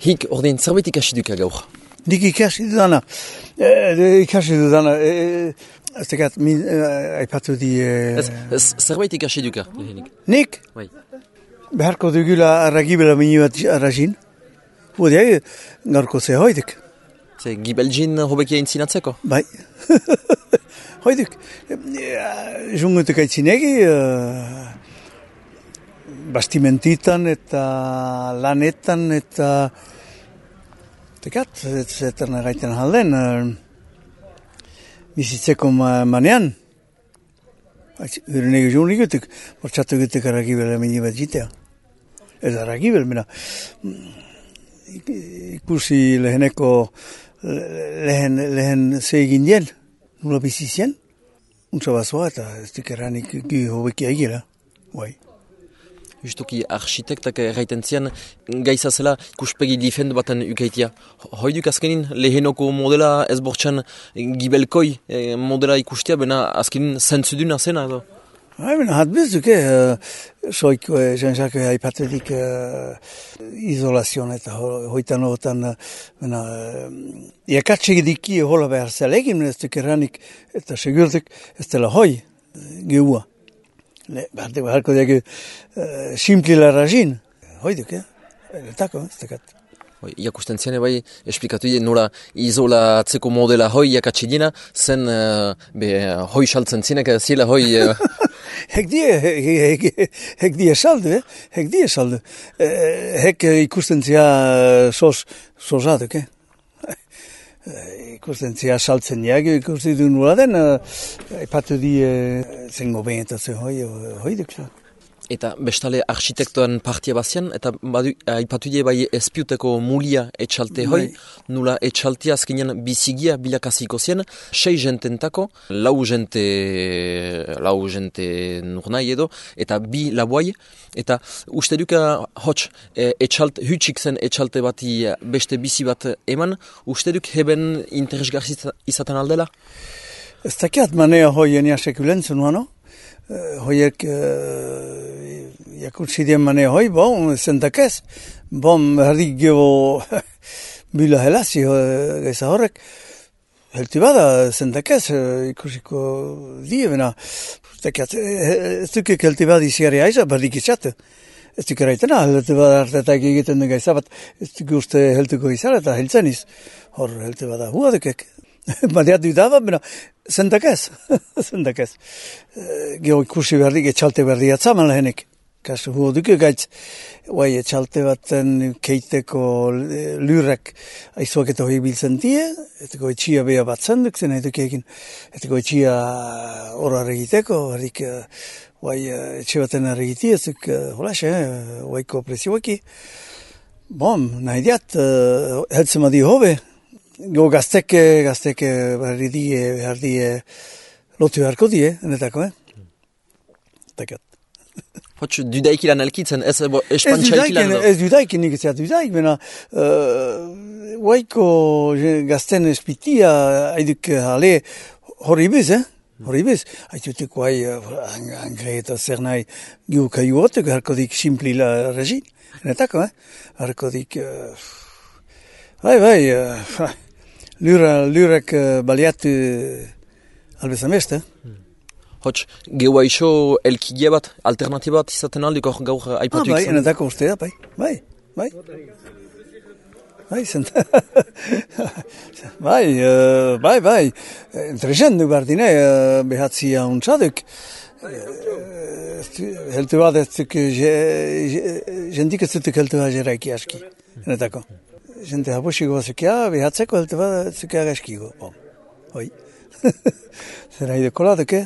Hik, ordein, zerbait ikasi duka gaur? Nik ikasi dudana. Ez tekat, aipatu di... Zerbait ikasi duka, lehenik? Nik? Bai. Beharko dugula arragibela mini bat arrazin. Hudeak, gaurko ze hoidek. Ze gibeljin hobekia intzinatzeko? Bai. Hoidek. Jungutek aitzinegi, bastimentitan eta lanetan eta... Tekat, zetan gaiten halden, bizitzeko manean. Urenegi joan igutek, bortxatu gutek arragibela mini bat jitea. Ez arragibel, mena. Ikusi leheneko, lehen zeegin dien, nula bizizien. Untsa bazoa eta ez dikeranik gi hobekia egila. Bai. Justuki arxitektak erraiten zian, gaiza zela ikuspegi difend baten ukaitia. Hoiduk azkenin lehenoko modela ez bortxan gibelkoi modela ikustia, bena azkenin zentzuduna zena edo? Bena hat bizuk, soik Jean-Jacques haipatetik izolazion eta hoitan hotan, iakatsik diki hola behar zelegin, ez dikeranik eta segurtek ez dela hoi geua. Beharko diak simplila rajin. Hoiduk, letako, ez dekat. Iakusten zian bai, esplikatu nola izolatzeko modela hoi jakatsidina, zen hoi saltzen zinek, zila hoi... Hek die saldu, hek die saldu. Hek ikusten zia sozaduk, ikusten zia saltzen diak, ikusten du nola den, epatu di zengo behentatzen hoiduk. Eta bestale arxitektoan partia bazian, eta aipatu die bai espiuteko mulia etxalte hoi, nula etxaltea azkenean bizigia bilakaziko zien, 6 jententako, 4 jente nurnai edo, eta 2 labuai, eta uste duka hots hutsik zen etxalte bati beste bizi bat eman, uste duk heben interesgarri izaten aldela? Ez dakiat manea hoien jasekulentzen nuano? Hoiek jakutsidien mane hoi, zentakez, herrik gebo bila helazi gaiza horrek, helti bada zentakez, ikusiko die bena, ez dukik helti bada iziari aiza, berdik izate, ez duk eraitena, helti bada hartetak egiten den gaiza bat, ez duk uste heltuko izara eta heltzen iz, hor helti bada huadekek. Badeat du daba, bena, zentakez. Geo ikusi berdik, etxalte berdi atzaman lehenik. Kasu huo duke gaitz, etxalte baten keiteko lurrak aizuak eta hoi biltzen die, eteko etxia beha bat zenduk zen edukekin, eteko etxia horar egiteko, berdik, etxe baten arregiti, ezuk, holaxe, waiko presioaki. Nahi diat, heltzen madi hobe, go gazteke behar die lotu beharko die, enetako, Takat. Hots, dudaik ilan elkitzen, ez espantxaik ilan edo? Ez dudaik, nik ez dudaik, bena waiko gazten espitia haiduk hale horribiz, horribiz. Haituteko angre eta zer nahi giu kaiuotek, harkodik simplila regin, enetako, harkodik... Lurrak baliatu albezamest, Hots, geua iso elkigia bat, alternatiba bat izaten aldik gaur aipatu ikzen? Enetako ustea, bai. Bai. Interesentu bardine, behatzia untsaduk. Heltu bat ez duk, jendik ez duk heltu bat jeraiki aski, enetako. Gente hapuxiko bazukia, behatzeko heltu bat zukia gaskigo. Hoi. Zera ideko ladeke.